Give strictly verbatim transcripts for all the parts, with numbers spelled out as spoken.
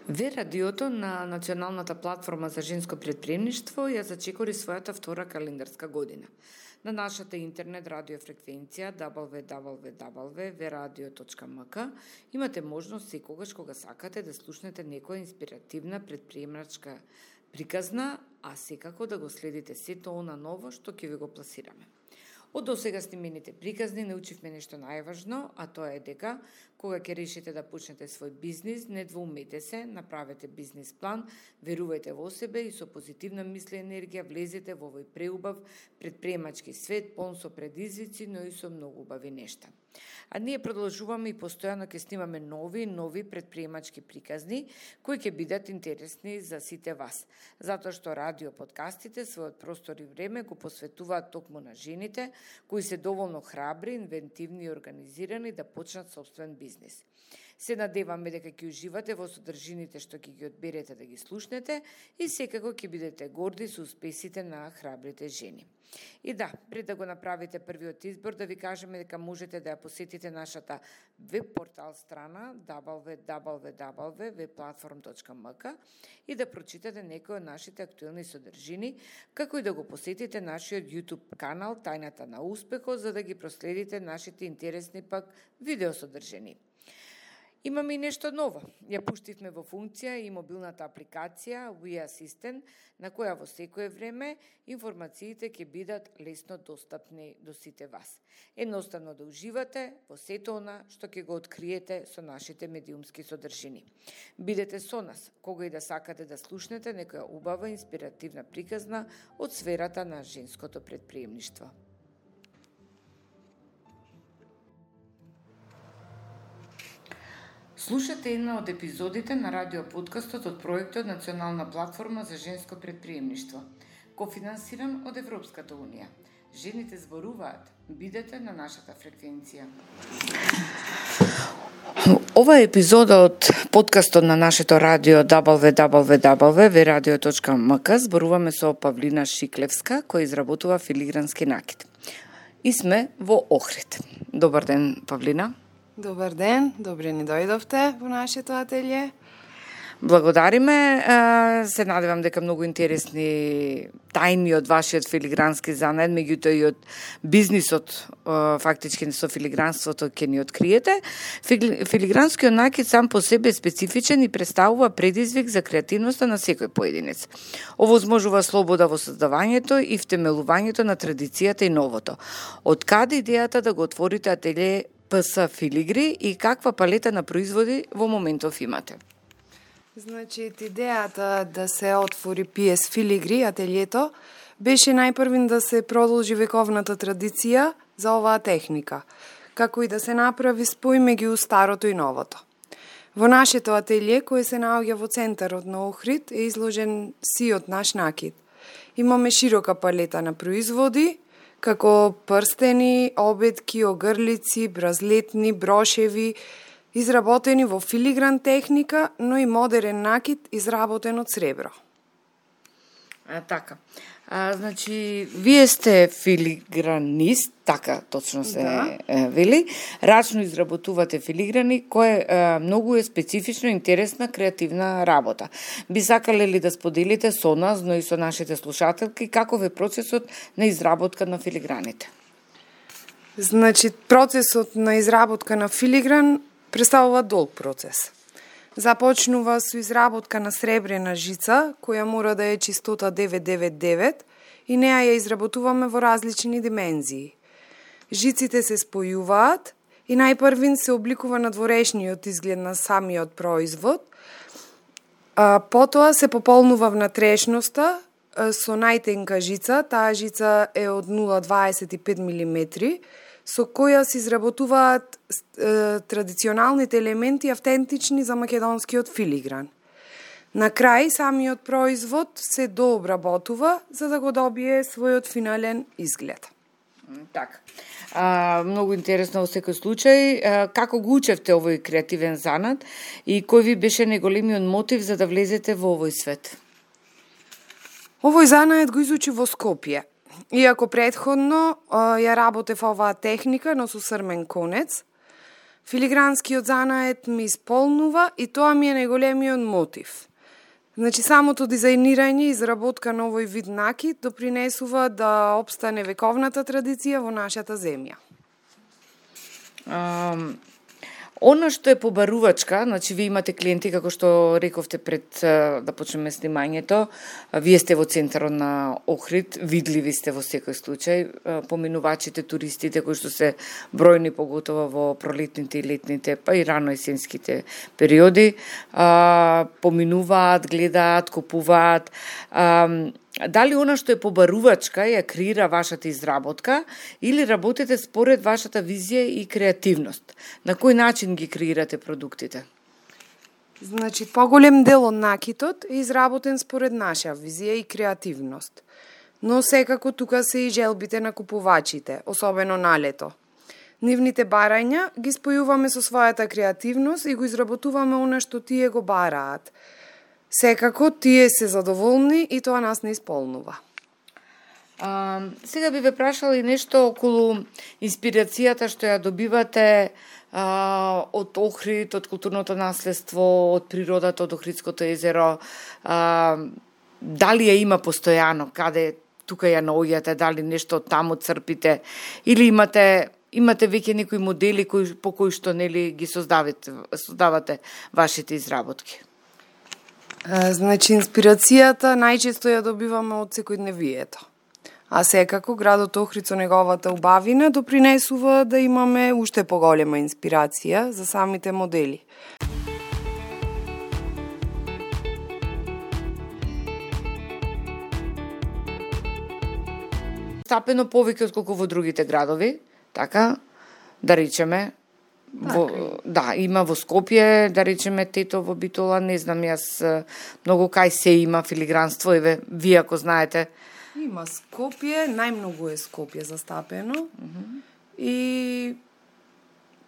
Ве радиото на Националната платформа за женско претприемништво ја зачекори својата втора календарска година. На нашата интернет радиофреквенција дабл ю дабл ю дабл ю точка ве радио точка ем ка имате можност секогаш кога сакате да слушнете некоја инспиративна претприемачка приказна, а секако да го следите сето она ново што ќе ви го пласираме. Од досега снимените приказни научивме нешто најважно, а тоа е дека кога ќе решите да почнете свој бизнис, не двоумете се, направете бизнис план, верувајте во себе и со позитивна мисла и енергија влезете во овој преубав претприемачки свет, полн со предизвици, но и со многу убави нешта. А ние продолжуваме и постојано ќе снимаме нови и нови претприемачки приказни кои ќе бидат интересни за сите вас, затоа што радио подкастите својот простор и време го посветуваат токму на жените кои се доволно храбри, инвентивни и организирани да почнат собствен бизнис. Се надеваме дека ќе уживате во содржините што ќе ги одберете да ги слушнете и секако ќе бидете горди со успесите на храбрите жени. И да, пред да го направите првиот избор, да ви кажеме дека можете да ја посетите нашата веб портал страна дабл ю дабл ю дабл ю точка ве платформ точка ем ка и да прочитате некои од нашите актуелни содржини, како и да го посетите нашиот YouTube канал Тајната на успехот, за да ги проследите нашите интересни пак видеосодржини. Имаме и нешто ново. Ја пуштивме во функција и мобилната апликација We Assistant, на која во секое време информациите ќе бидат лесно достапни до сите вас. Едноставно да уживате во сето она што ќе го откриете со нашите медиумски содржини. Бидете со нас, кога и да сакате да слушнете некоја убава инспиративна приказна од сферата на женското претприемништво. Слушате една од епизодите на радиоподкастот од проектот Национална платформа за женско претприемништво, кофинансиран од Европската унија. Жените зборуваат. Бидете на нашата фреквенција. Ова епизода од подкастот на нашето радио дабл ю дабл ю дабл ю точка ве радио точка ем ка зборуваме со Павлина Шиклевска, која изработува филигрански накид. И сме во Охрид. Добар ден, Павлина. Добар ден, добре ни дојдовте во нашето ателје. Благодариме. Се надевам дека многу интересни тајни од вашиот филигрански занет, меѓутоа и од бизнисот, фактички со филигранството ќе ни откриете. Филигранскиот накид сам по себе е специфичен и представува предизвик за креативноста на секој поединец. Овозможува слобода во создавањето и втемелувањето на традицијата и новото. Од каде идејата да го отворите ателје Пи Ес Филигри и каква палета на производи во моментов имате? Значи, идејата да се отвори Пи Ес Филигри, ателјето, беше најпрвин да се продолжи вековната традиција за оваа техника, како и да се направи спој меѓу старото и новото. Во нашето ателје, кој се наоѓа во центарот на Охрид, е изложен сиот наш накид. Имаме широка палета на производи, како прстени, обетки, огрлици, бразлетни, брошеви, изработени во филигран техника, но и модерен накид изработен од сребро. А, така. А, значи, вие сте филигранист, така точно се да. е, вели. Рачно изработувате филиграни, кое е, многу е специфично, интересна, креативна работа. Би сакале ли да споделите со нас, но и со нашите слушателки, каков е процесот на изработка на филиграните? Значи, процесот на изработка на филигран представува долг процес. Започнува со изработка на сребрена жица, која мора да е чистота девет девет девет и неа ја изработуваме во различни димензии. Жиците се спојуваат и најпрвин се обликува надворешниот изглед на самиот производ, а потоа се пополнува внатрешноста со најтенка жица, таа жица е од нула целу дваесет и пет милиметри, со која се изработуваат е, традиционалните елементи автентични за македонскиот филигран. На крај, самиот производ се дообработува за да го добие својот финален изглед. Така. А, многу интересно во секој случај. А, како го учевте овој креативен занат и кој ви беше најголемиот мотив за да влезете во овој свет? Овој занат го изучи во Скопје. Иако предходно ја работев оваа техника, но со срмен конец, Филигранскиот занаед ми исполнува и тоа ми е најголемиот мотив. Значи, самото дизајнирање и изработка на овој вид накид допринесува да опстане вековната традиција во нашата земја. Um... Она што е побарувачка, значи вие имате клиенти, како што рековте пред да почнеме снимањето, вие сте во центарот на Охрид, видливи сте во секој случај, поминувачите, туристите кои што се бројни, поготово во пролетните и летните, па и рано есенските периоди, поминуваат, гледаат, купуваат. Дали она што е побарувачка ја креира вашата изработка или работите според вашата визија и креативност? На кој начин ги креирате продуктите? Значи, поголем дел од накитот е изработен според наша визија и креативност. Но секако тука се и желбите на купувачите, особено на лето. Нивните барања ги спојуваме со својата креативност и го изработуваме она што тие го бараат. Секако тие се задоволни и тоа нас не исполнува. А, сега би ве прашала и нешто околу инспирацијата што ја добивате а, од Охрид, од културното наследство, од природата, од Охридското езеро. А, дали ја има постојано, каде тука ја наоѓате, дали нешто таму црпите, или имате имате веќе некои модели кои, по кои што нели ги создавате, создавате вашите изработки? Значи, инспирацијата најчесто ја добиваме од секојдневието. А секако, градот Охрид со неговата убавина допринесува да имаме уште поголема инспирација за самите модели. Стапено повеќе отколку во другите градови, така, да речеме, Во, да, има во Скопје, да речеме Тето во Битола, не знам јас многу кај се има филигранство, еве, вие ако знаете. Има Скопје, најмногу е Скопје застапено, uh -huh. и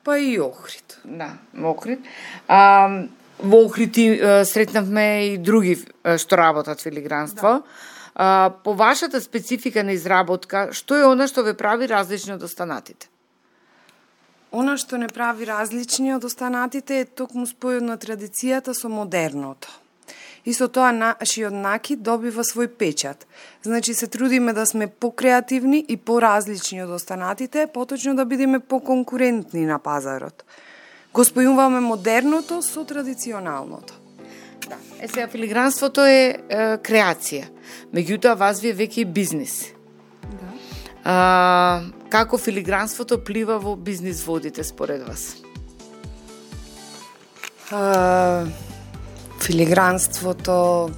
па и Охрид. Да, Охрид. А, во Охрид сретнавме и други што работат филигранство. Да. А, по вашата специфика на изработка, што е она што ве прави различни од останатите? Она што не прави различни од останатите е токму спојот на традицијата со модерното. И со тоа нашиот накид добива свој печат. Значи се трудиме да сме покреативни и поразлични од останатите, поточно да бидеме поконкурентни на пазарот. Го спојуваме модерното со традиционалното. Да. Е сега филигранството е, е креација. Меѓутоа вас ви е веќе бизнис. Да. А, како филигранството плива во бизнис водите според вас? А, филигранството,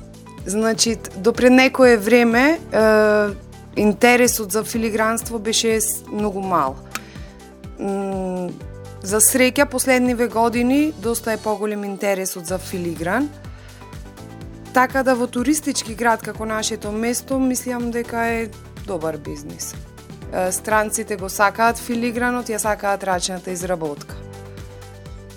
значи, допред некое време е, интересот за филигранство беше многу мал. М, за среќа, последниве години доста е поголем интересот за филигран. Така да во туристички град како нашето место, мислам дека е добар бизнис. Странците го сакаат филигранот, ја сакаат рачната изработка.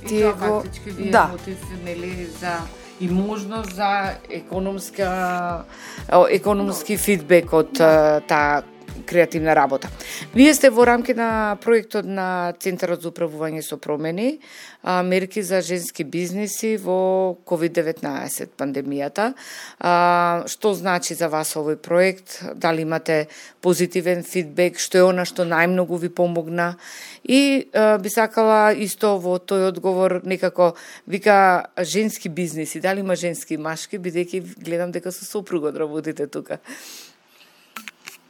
И Тие тоа го... фактички ви е да. мотив, нели, за и можност за економска економски фидбек од таа креативна работа. Вие сте во рамки на проектот на Центарот за управување со промени, мерки за женски бизниси во ковид деветнаесет пандемијата. А, што значи за вас овој проект? Дали имате позитивен фидбек? Што е она што најмногу ви помогна? И а, би сакала исто во тој одговор некако вика женски бизниси. Дали има женски и машки? Бидејќи гледам дека со сопругот работите тука.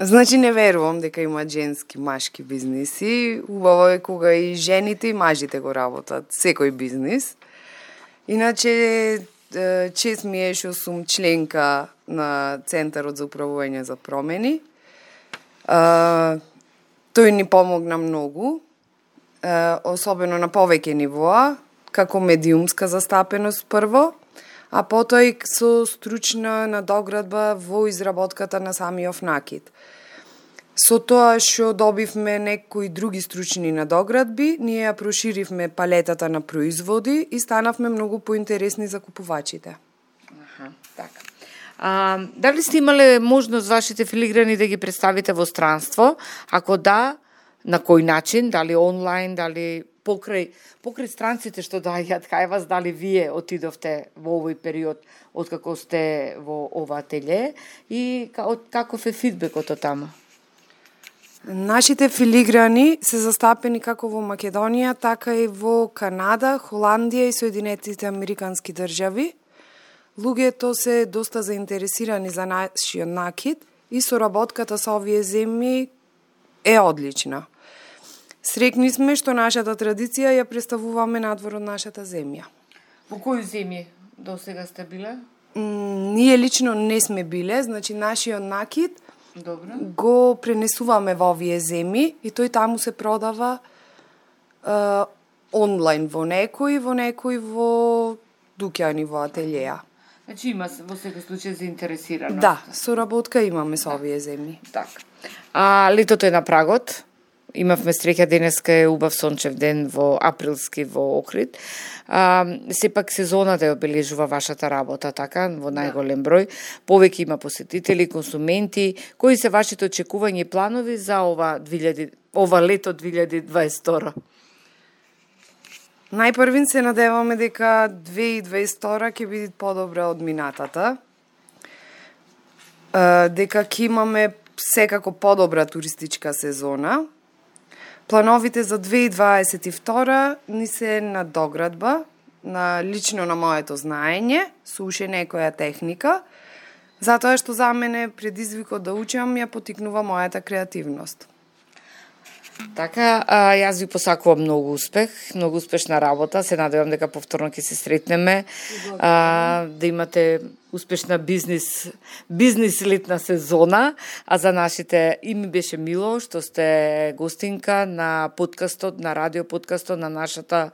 Значи не верувам дека има женски машки бизниси. Убаво е кога и жените и мажите го работат секој бизнис. Иначе чест ми е што сум членка на Центарот за управување за промени. А, тој ни помогна многу, а, особено на повеќе нивоа, како медиумска застапеност прво, а потоа и со стручна надоградба во изработката на самиот накид. Со тоа што добивме некои други стручни надоградби, ние ја проширивме палетата на производи и станавме многу поинтересни за купувачите. Аха, така. А, дали сте имале можност вашите филиграни да ги представите во странство? Ако да, на кој начин? Дали онлайн, дали покрај покрај странците што доаѓаат кај вас, дали вие отидовте во овој период откако сте во ова ателје и каков е фидбекот од тама? Нашите филиграни се застапени како во Македонија, така и во Канада, Холандија и Соединетите Американски држави. Луѓето се доста заинтересирани за нашиот накид и соработката со овие земји е одлична. Срекни сме што нашата традиција ја представуваме надвор од нашата земја. Во кои земји до сега сте биле? М, ние лично не сме биле, значи нашиот накид Добро. го пренесуваме во овие земји и тој таму се продава е, онлайн во некои, во некои во дуќани во ателјеа. Значи има во секој случај заинтересираност. Да, соработка имаме со овие земји. Така. А летото е на прагот. Имавме среќа, денеска е убав сончев ден во априлски во Охрид. А, сепак сезоната ја обележува вашата работа, така, во најголем број. Повеќе има посетители, консументи. Кои се вашите очекувања и планови за ова две илјади ова лето две илјади дваесет и втора? Најпрвин се надеваме дека две илјади дваесет и втора ќе биде подобра од минатата. Е, дека ќе имаме секако подобра туристичка сезона. Плановите за две илјади дваесет и втора ни се на доградба, на лично на моето знаење, со уште некоја техника, затоа што за мене предизвикот да учам ја потикнува мојата креативност. Така, а, јас ви посакувам многу успех, многу успешна работа. Се надевам дека повторно ќе се сретнеме, а, да имате успешна бизнис, бизнис летна сезона, а за нашите и ми беше мило што сте гостинка на подкастот, на радио подкастот на нашата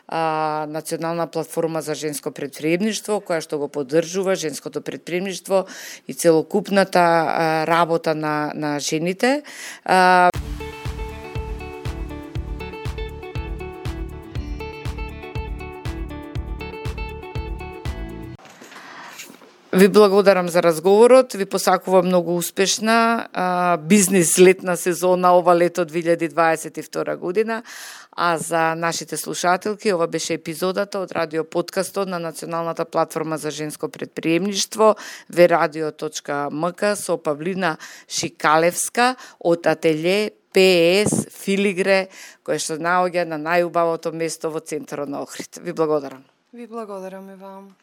а, национална платформа за женско претприемништво, која што го поддржува женското претприемништво и целокупната а, работа на, на жените. А, Ви благодарам за разговорот, ви посакувам многу успешна а, бизнис летна сезона ова лето две илјади дваесет и втора година, а за нашите слушателки ова беше епизодата од радио подкастот на Националната платформа за женско претприемништво ве радио точка ем ка со Павлина Шикалевска од ателје Пе Ес Филигре, кој што наоѓа на најубавото место во центарот на Охрид. Ви благодарам. Ви благодарам и вам.